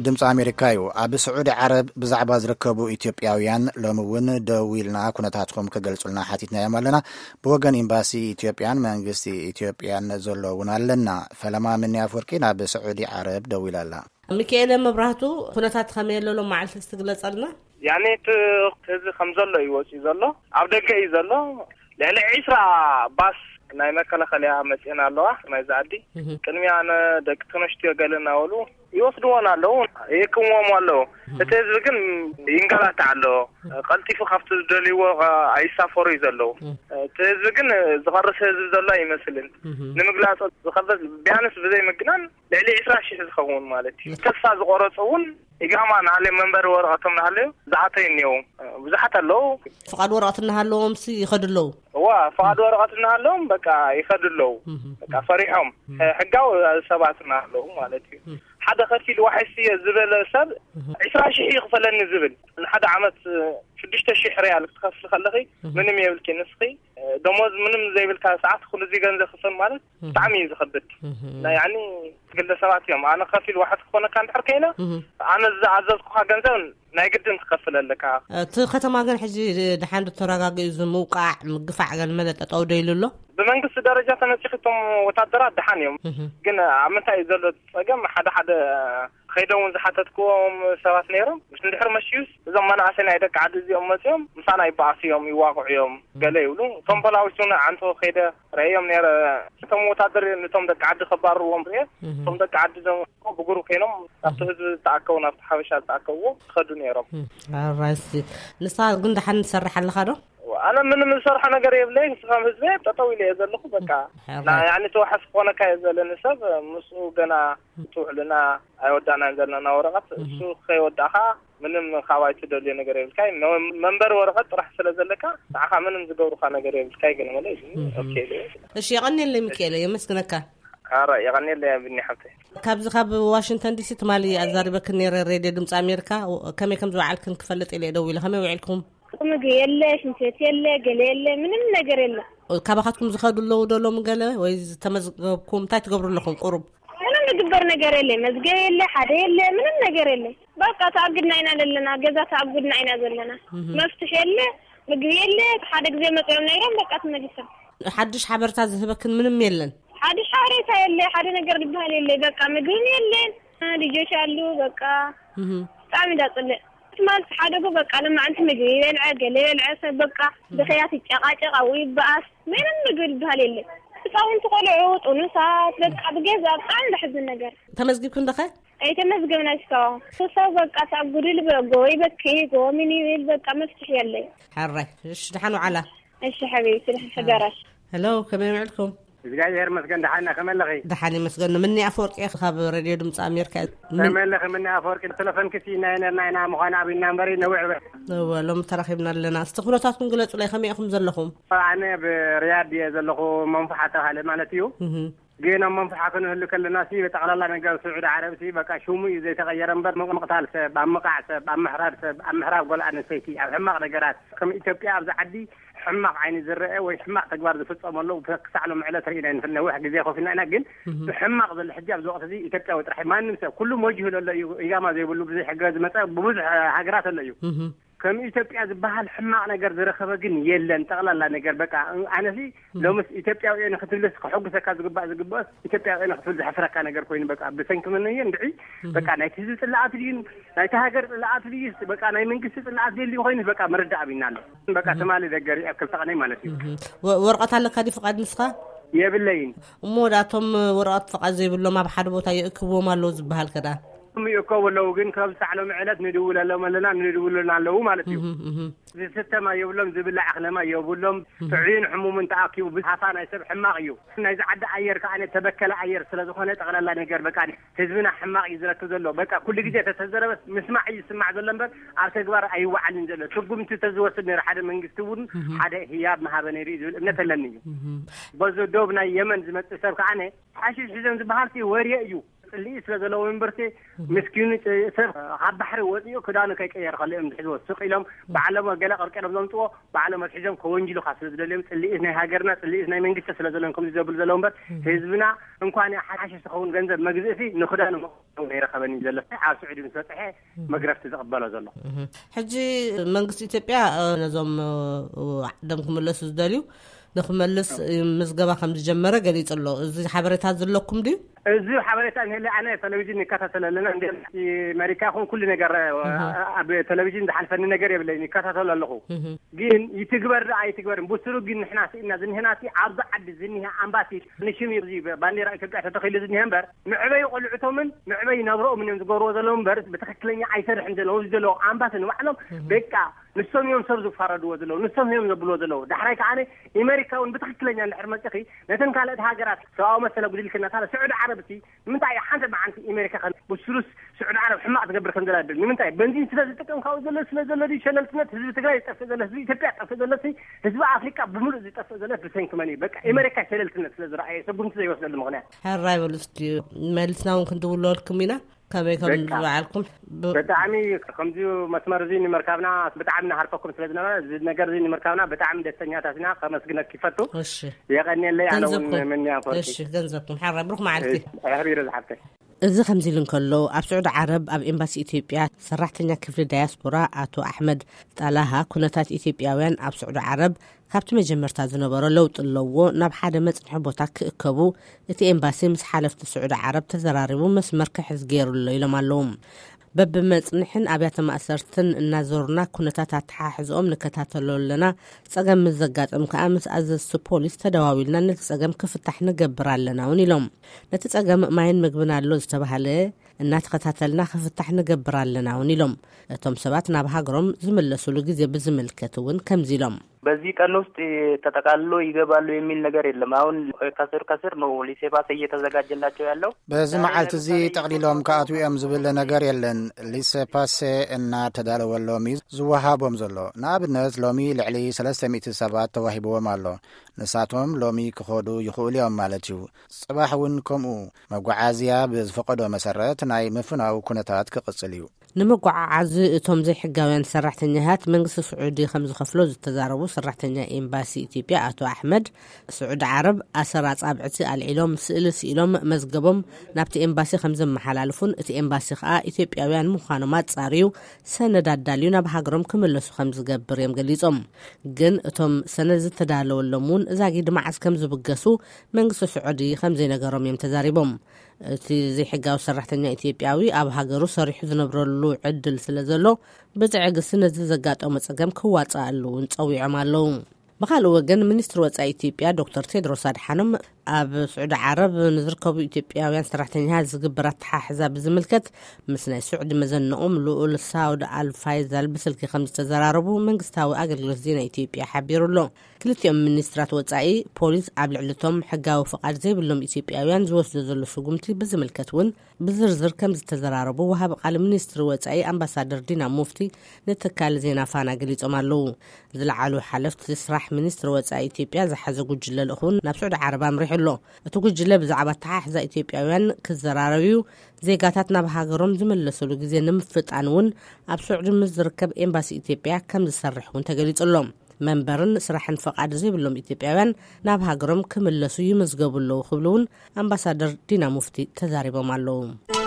ድምፂ ኣሜሪካ እዩ። ኣብ ስዑዲ ዓረብ ብዛዕባ ዝርከቡ ኢትዮጵያውያን ሎሚ እውን ደዊልና ኩነታትኩም ክገልጹልና ሓቲትናዮም ኣለና። ብወገን ኤምባሲ ኢትዮጵያን መንግስቲ ኢትዮጵያን ዘሎ እውን ኣለና። ፈለማ ምኒ ኣፍወርቂ ናብ ስዑዲ ዓረብ ደዊላ ኣላ። ሚካኤለ መብራህቱ፣ ኩነታት ከመይ ኣሎ ሎም መዓልቲ እስቲ ግለጸልና። ያኔ እቲ ህዝቢ ከም ዘሎ እዩ ወፂኡ ዘሎ፣ ኣብ ደገ እዩ ዘሎ። ልዕሊ ዒስራ ባስ ናይ መከላኸልያ መፅኤን ኣለዋ ናይዛ ዓዲ። ቅድሚያ ነደቂ ተነስትዮ ገለ እናበሉ ይወስድዎን ኣለዉ፣ ይህክምዎም ኣለዉ። እቲ ህዝቢ ግን ይንገላታዕ ኣለዎ። ቀልጢፉ ካብቲ ዝደልይዎ ኣይሳፈሩ እዩ ዘለዉ። እቲ ህዝቢ ግን ዝቐርስ ህዝቢ ዘሎ ኣይመስልን። ንምግላፅ ዝኸበድ ቢያንስ ብዘይ ምግናን ልዕሊ ዒስራ ሽሕ ዝኸውን ማለት እዩ። ተስፋ ዝቆረፁ እውን ኢጋማ ናሃለዩ መንበሪ ወረቐቶም ናሃለዩ ዝኣተዩ እኒአው ብዙሓት ኣለዉ። ፍቓድ ወረቐት እናሃለዎም ሲ ይኸዱ ኣለዉ። እዋ ፍቓድ ወረቐት እናሃለዎም በቃ ይኸዱ ኣለዉ። በቃ ፈሪሖም ሕጋዊ ሰባት እናሃለዉ ማለት እዩ። ሓደ ከፊል ዋሕስ እየ ዝበለ ሰብ ዒስራ ሽሕ ይኽፈለኒ ዝብል ንሓደ ዓመት ሽዱሽተ ሽሕ ሪያል ክትኸፍል ከለኺ ምንም የብልኪ ንስኺ ደሞዝ ምንም ዘይብልካ ሰዓት ኩሉ እዚ ገንዘብ ክፈል ማለት ብጣዕሚ እዩ ዝኸብድ። ናይ ያኒ ግለ ሰባት እዮም። ኣነ ከፊል ዋሕስ ክኾነካ እንድሕር ከይነ ኣነ ዝኣዘዝኩኻ ገንዘብ ናይ ግድን ትኸፍል ኣለካ። እቲ ከተማ ግን ሕጂ ድሓን ተረጋጊኡ እዚ ምውቃዕ ምግፋዕ ገለ መለ ጠጠው ዶ ኢሉ ኣሎ? ብመንግስቲ ደረጃ ተነፂኺ እቶም ወታደራት ድሓን እዮም። ግን ኣብ ምንታይ እዩ ዘሎ ፀገም? ሓደ ሓደ ከይደ እውን ዝሓተትክዎም ሰባት ነይሮም። ምስ እንድሕር መሽዩስ እዞም መናእሰይ ናይ ደቂ ዓዲ እዚኦም መፅዮም ምሳና ይበኣሱ እዮም፣ ይዋቕዑ እዮም ገለ ይብሉ። እቶም ፖላዊስ እውን ዓንቶ ከይደ ረእዮም ነይረ። እቶም ወታደር ነቶም ደቂ ዓዲ ከባርርዎም ርኤ። እቶም ደቂ ዓዲ ዞም ብጉሩ ኮይኖም ናብቲ ህዝቢ ዝተኣከቡ ናብቲ ሓበሻ ዝተኣከብዎ ክኸዱ ነይሮም። ኣራይሲ ንሳ ግን ደሓን ትሰርሕ ኣለኻ ዶ? ኣነ ምንም ዝሰርሖ ነገር የብለይ። ንስኻም ህዝበ ጠጠው ኢለ እየ ዘለኹ። በቃ ሕራይ። ያኒ ተዋሓስ ክኾነካ እየ ዘለኒ ሰብ ምስኡ ገና ትውዕልና ኣይወዳእናን ዘለና ወረቐት እሱ ከይወዳእኻ ምንም ካብ ኣይትደልዮ ነገር የብልካይ። መ- መንበሪ ወረቐት ጥራሕ ስለ ዘለካ ንዓኻ ምንም ዝገብሩካ ነገር የብልካይ። ግን መለ ኦኬ ኢለ እየ። እሺ፣ የቐንየለይ ሚካኤለ፣ የመስግነካ። ኣረ የቐንየለይ ቢኒ ሓብተይ። ካብዚ ካብ ዋሽንግተን ዲሲ ትማሊ ኣዛሪበክን ነይረ ሬድዮ ድምፂ ኣሜሪካ። ከመይ ከም ዝወዓልክን ክፈልጥ ኢለ እየ ደዊለ። ከመይ ውዒልኩም? ምግቢ የለ፣ ሽንት ቤት የለ፣ ገለ የለ፣ ምንም ነገር የለ። ካባኻትኩም ዝኸዱ ኣለዉ ዶ ሎሚ ገለ ወይ ዝተመዝገብኩም? እንታይ ትገብሩ ኣለኹም ቁሩብ? ምንም ዝግበር ነገር የለ፣ መዝገብ የለ፣ ሓደ የለ፣ ምንም ነገር የለ። በቃ ተኣግድና ኢና ዘለና፣ ገዛ ተኣግድና ኢና ዘለና። መፍትሕ የለ፣ ምግቢ የለ። ሓደ ግዜ መፅኦም ነይሮም በቃ ተመሊሶም። ሓድሽ ሓበርታ ዝህበክን ምንም የለን? ሓድሽ ሓበሬታ የለ፣ ሓደ ነገር ዝበሃል የለ። በቃ ምግብም የለን፣ ልጆች አሉ። በቃ ብጣዕሚ እንዳፅልእ ትማልቲ ሓደጎ በቃ ለማዕንቲ ምግቢ ይበልዐ፣ ገለ ይበልዐ ሰብ በቃ ብኸያት ይጨቃጨቅ፣ ኣብኡ ይበኣስ። ምንም ምግቢ ዝበሃል የለ። ህፃውንቲ ቆልዑ፣ ጥኑሳት፣ በቃ ብገዛ ብጣዕሚ ዘሕዝን ነገር። ተመዝጊብክን ዶ ኸ? ኣይተመዝገብና እስካሁን። ሰብ በቃ ተኣጉድል በጎ ይበኪ፣ ጎ ምን ይብል በቃ መፍትሒ የለይ። ሕራይ። እሺ፣ ደሓን ውዓላ። እሺ ሓቢብቲ፣ ደሓን ሕደራ። ሄሎ፣ ከመይ ውዕልኩም? እግዚኣብሔር ይመስገን፣ ደሓና፣ ከመይ ኣለኺ? ደሓን ይመስገን። ምኒ ኣፈወርቂ እየ፣ ካብ ሬድዮ ድምፂ ኣሜሪካ እየ። ምን- ከመይ ኣለኺ ምኒ ኣፈወርቂ? ቴሌፎንኪ ስኢና ነርና ኢና፣ ምዃን ኣብና እምበሪ ነዊሕ በ- እወ፣ ሎሚ ተራኺብና ኣለና። እስቲ ኩነታትኩም ግለፁለይ፣ ከመይ ኢኹም ዘለኹም? ኣነ ኣብ ሪያድ እየ ዘለኹ፣ መንፉሓ ተባሃለ ማለት እዩ። እህ። ግን ኣብ መንፍሓ ክንህሉ ከለና ሲ ብጠቕላላ ነገር ስዑዲ ዓረብ ሲ በቃ ሽሙ እዩ ዘይተቐየረ እምበር፣ ምቕ- ምቕታል ሰብ፣ ኣብ ምቓዕ ሰብ፣ ኣብ ምሕራድ ሰብ፣ ኣብ ምሕራብ ጓል ኣንስተይቲ፣ ኣብ ሕማቕ ነገራት ከም ኢትዮጵያ ኣብዚ ዓዲ ሕማቕ ዓይኒ ዝረአ ወይ ሕማቕ ተግባር ዝፍጸመሉ ክሳዕ ሎም ዕለት ርኢና ይንፍል። ነዊሕ ግዜ ኮፍ ኢልና ኢና፣ ግን ብሕማቕ ዘሎ ሕጂ ኣብዚ ወቕቲ እዚ ኢትዮጵያዊ ጥራሕ ማንም ሰብ ኩሉ መጅሁ ዘሎ እዩ። ኢጋማ ዘይብሉ ብዘይ ሕገ ዝመጸ ብብዙሕ ሃገራት ኣሎ እዩ። ከም ኢትዮጵያ ዝበሃል ሕማቕ ነገር ዝረኸበ ግን የለን። ጠቕላላ ነገር በቃ ኣነሲ ሎምስ ኢትዮጵያዊ እየ ንክትብልስ ክሕጉሰካ ዝግባእ ዝግባእስ ኢትዮጵያዊ እየ ንክትብል ዘሕፍረካ ነገር ኮይኑ በቃ ብሰንኪ መን እየ እንድዒ በቃ ናይቲ ህዝቢ ጽላኣት ድዩ ናይቲ ሃገር ጽላኣት ድዩስ በቃ ናይ መንግስቲ ጽላኣት ዘልዩ ኮይኑስ በቃ ምርዳእ ኣብና ኣሎ። በቃ ትማሊ ደገሪ ኣብ ክልተ ቀነይ ማለት እዩ። እህ። ወ- ወረቐት ኣለካ ድዩ ፍቓድ ንስኻ? የብለይን። እሞ ወዳቶም ወረቐት ፍቓድ ዘይብሎም ኣብ ሓደ ቦታ የእክብዎም ኣለዉ ዝበሃል ከዳ? እም ይእከቡ ኣለዉ ግን ካብ ሳዕ ሎም ዕለት ንድውለሎም ኣለና ንድውሉና ኣለዉ ማለት እዩ። እህ፣ እህ። ዝስተማ የብሎም፣ ዝብላዕ ኣኽለማ የብሎም። ጥዑይን ሕሙምን ተኣኪቡ ብሃፋ ናይ ሰብ ሕማቕ እዩ። ናይዚ ዓዲ ኣየር ከኣ ተበከለ ኣየር ስለ ዝኾነ ጠቕላላ ነገር በቃ ህዝብና ሕማቕ እዩ ዝረክብ ዘሎ። በቃ ኩሉ ግዜ ተተዘረበስ ምስማዕ እዩ ዝስማዕ ዘሎ እምበር ኣብ ተግባር ኣይወዓልን ዘሎ። ስጉምቲ ተዝወስድ ነይሩ ሓደ መንግስቲ እውን ሓደ ህያብ ምሃበ ነይሩ እዩ ዝብል እምነት ኣለኒ እዩ። በዚ ዶብ ናይ የመን ዝመጽእ ሰብ ከኣ ሓሽሽ ሒዞም ዝበሃል ወሬ እዩ። ጽልኢ ስለ ዘለዎ መንበርቲ፣ ምስኪኑ ጥ-፣ ሰብ ካብ ባሕሪ ወጺኡ ክዳኑ ከይቀየር ከሎ እዮም ዝሕዝዎ። ስቕ ኢሎም ባዕሎም ገለ ቀርቀሮም ዘምጽዎ፣ ባዕሎም ኣትሒዞም ከወንጅሉኻ ስለ ዝደልዮም፣ ጽልኢ ናይ ሃገርና፣ ጽልኢ ናይ መንግስቲ ስለ ዘለዎም ከምዚ ዘብሉ ዘለዉ እምበር፣ ህዝብና እንኳን ሓሽሽ ዝኸውን ገንዘብ መግዝእቲ ንክዳኑ መቕየሪ ኣይረኸበን እዩ ዘሎ። ኣብ ስዑዲ ምስ በጽሐ መግረፍቲ ዝቕበሎ ዘሎ። ሕጂ መንግስቲ ኢትዮጵያ፣ እ፣ ነዞም፣ እ፣ ዓዶም ክምለሱ ዝደልዩ ንክመልስ፣ እ፣ ምዝገባ ከም ዝጀመረ ገሊጹ ኣሎ። እዚ ሓበሬታ ዘለኩም ድዩ? እዚ ሓበሬታ እንሄለ፣ ኣነ ቴሌቪዥን ይከታተል ኣለና። እንደ ኣሜሪካ ይኹን ኩሉ ነገር፣ እ፣ ኣብ ቴሌቪዥን ዝሓልፈኒ ነገር የብለይን፣ ይከታተል ኣለኹ። ግን ይትግበር ዶ ኣይትግበርን ብስሩ ግን ንሕና ስኢና ዝንህናሲ ኣብዚ ዓዲ ዝንሄ ኣምባሲ ንሽም እዩ። እዚ ባንዴራ ኢትዮጵያ ተተኺሉ ዝንሄ እምበር፣ መዕበይ ቆልዕቶምን መዕበይ ናብረኦምን እዮም ዝገብርዎ ዘለዉ እምበር፣ ብትኽክለኛ ኣይሰርሕን ዘለዉ። እዚ ዘለዉ ኣምባሲ ንባዕሎም በቃ ንሶም እዮም ሰብ ዝፋረድዎ ዘለዉ፣ ንሶም እዮም ዘብልዎ ዘለዉ። ዳሕራይ ከዓነ ኣሜሪካ እውን ብትኽክለኛ እንድሕር መፂኺ፣ ነተን ካልኦት ሃገራት ሰብኣዊ መሰል ኣጉዲልክና፣ ታዲያ ስዑዲ ዓረብ እቲ ንምንታይ ሓንቲ መዓልቲ ኣሜሪካ ከም ብስሩስ ስዑዲ ዓረብ ሕማቕ ትገብር ከም ዘላ ድብል? ንምንታይ? በንዚን ስለ ዝጥቀም ካብኡ ዘሎ ስለ ዘሎ ድዩ? ሸለልትነት ህዝቢ ትግራይ ዝጠፍእ ዘሎ፣ ህዝቢ ኢትዮጵያ ዝጠፍእ ዘሎ፣ ህዝቢ ኣፍሪቃ ብምሉእ ዝጠፍእ ዘሎ ብሰንኪ መን እዩ? በቃ ኣሜሪካ ሸለልትነት ስለ ዝረኣየ፣ ሰጉምቲ ዘይወስደሉ ምኽንያት። ሕራይ በሉ እስኪ፣ መሊስና እውን ክንድውለወልኩም ኢና። ከመይ ከም በቃ። ዝበዓልኩም ብ- ብጣዕሚ ከምዚ መስመር እዚ ንምርካብና ብጣዕሚ ንሃርፈኩም ስለ ዝነበረ፣ እዚ ነገር እዚ ንምርካብና ብጣዕሚ ደስተኛታት ኢና። ከመስግነኪ ይፈቱ። እሺ። የቐንየለይ። ኣነ እውን ገንዘብኩም። ምንያ ፈርቂ። እሺ፣ ገንዘብኩም። ሕራይ ብሩኽ መዓልቲ። እሺ፣ ኣሕቢሩ ዝሓፍተይ። እዚ ከምዚ ኢሉ እንከሎ፣ ኣብ ስዑዲ ዓረብ ኣብ ኤምባሲ ኢትዮጵያ ሰራሕተኛ ክፍሊ ዳያስፖራ ኣቶ ኣሕመድ ጣላሃ፣ ኩነታት ኢትዮጵያውያን ኣብ ስዑዲ ዓረብ ካብቲ መጀመርታ ዝነበሮ ለውጢ ኣለዎ፣ ናብ ሓደ መጽንሒ ቦታ ክእከቡ እቲ ኤምባሲ ምስ ሓለፍቲ ስዑዲ ዓረብ ተዘራሪቡ መስመር ክሕዝ ገይሩ ኣሎ ኢሎም ኣለዉ። በብመጽንሕን ኣብያተ ማእሰርትን እናዞርና ኩነታት ኣተሓሕዝኦም ንከታተሎ ኣለና። ጸገም ምስ ዘጋጥም ከኣ ምስ ኣዘዝቲ ፖሊስ ተደዋዊልና ነቲ ጸገም ክፍታሕ ንገብር ኣለና እውን ኢሎም። ነቲ ጸገም ማይን ምግብን ኣሎ ዝተባህለ እናተኸታተልና ክፍታሕ ንገብር ኣለና እውን ኢሎም። እቶም ሰባት ናብ ሃገሮም ዝምለሱሉ ግዜ ብዝምልከት እውን ከምዚ ኢሎም። በዚህ ቀን ውስጥ ተጠቃልሎ ይገባሉ የሚል ነገር የለም። አሁን ከስር ከስር ነው ሊሴባስ እየተዘጋጀላቸው ያለው። በዚ መዓልቲ እዚ ጠቕሊሎም ክኣትዉ እዮም ዝብል ነገር የለን። ሊሴፓሴ እናተዳለወሎም እዩ ዝወሃቦም ዘሎ። ንኣብነት ሎሚ ልዕሊ ሰለስተ ሚእቲ ሰባት ተዋሂብዎም ኣሎ። ንሳቶም ሎሚ ክኸዱ ይኽእሉ እዮም ማለት እዩ። ጽባሕ እውን ከምኡ መጓዓዝያ ብዝፈቐዶ መሰረት ናይ ምፍናው ኩነታት ክቕጽል እዩ። ንምጉዓዓዝ እቶም ዘይሕጋውያን ሰራሕተኛታት መንግስቲ ስዑዲ ከም ዝኸፍሎ ዝተዛረቡ ሰራሕተኛ ኤምባሲ ኢትዮጵያ ኣቶ ኣሕመድ፣ ስዑዲ ዓረብ ኣሰር ኣጻብዕቲ ኣልዒሎም፣ ስእሊ ስኢሎም፣ መዝገቦም ናብቲ ኤምባሲ ከም ዘመሓላልፉን እቲ ኤምባሲ ከኣ ኢትዮጵያውያን ምዃኖም ኣጻርዩ ሰነድ ኣዳልዩ ናብ ሃገሮም ክምለሱ ከም ዝገብር እዮም ገሊጾም። ግን እቶም ሰነድ ዝተዳለወሎም እውን ዛጊድ መዓስ ከም ዝብገሱ መንግስቲ ስዑዲ ከም ዘይነገሮም እዮም ተዛሪቦም። እቲ ዘይሕጋዊ ሰራሕተኛ ኢትዮጵያዊ ኣብ ሃገሩ ሰሪሑ ዝነብረሉ ዕድል ስለ ዘሎ፣ ብትዕግስቲ ነዚ ዘጋጠሞ ጸገም ክዋጽኣሉ እውን ጸዊዖም ኣለዉ። ብኻልእ ወገን፣ ሚኒስትሪ ወጻኢ ኢትዮጵያ ዶክተር ቴድሮስ ኣድሓኖም ኣብ ስዑዲ ዓረብ ንዝርከቡ ኢትዮጵያውያን ሰራሕተኛታት ዝግበር ኣተሓሕዛ ብዝምልከት ምስ ናይ ስዑዲ መዘንኦም ልኡል ሳውድ ኣል ፋይዛል ብስልኪ ከም ዝተዘራረቡ መንግስታዊ ኣገልግሎት ዜና ኢትዮጵያ ሓቢሩ ኣሎ። ክልቲኦም ሚኒስትራት ወጻኢ፣ ፖሊስ ኣብ ልዕሊ እቶም ሕጋዊ ፍቓድ ዘይብሎም ኢትዮጵያውያን ዝወስዶ ዘሎ ስጉምቲ ብዝምልከት እውን ብዝርዝር ከም ዝተዘራረቡ ወሃቢ ቃል ሚኒስትሪ ወጻኢ ኣምባሳደር ዲና ሙፍቲ ንትካል ዜና ፋና ገሊጾም ኣለዉ። ዝለዓሉ ሓለፍቲ ስራሕ ሚኒስትሪ ወጻኢ ኢትዮጵያ ዝሓዘ ጉጅለ ልኡኽ እውን ናብ ስዑዲ ዓረብ ኣምሪሑ ኣሎ። እቲ ጉጅለ ብዛዕባ ኣተሓሕዛ ኢትዮጵያውያን ክዘራረብ እዩ። ዜጋታት ናብ ሃገሮም ዝምለሱሉ ግዜ ንምፍጣን እውን ኣብ ስዑዲ ምስ ዝርከብ ኤምባሲ ኢትዮጵያ ከም ዝሰርሕ እውን ተገሊጹ ኣሎ። መንበርን ስራሕን ፈቓድ ዘይብሎም ኢትዮጵያውያን ናብ ሃገሮም ክምለሱ ይምዝገቡ ኣለዉ ክብሉ እውን ኣምባሳደር ዲና ሙፍቲ ተዛሪቦም ኣለዉ።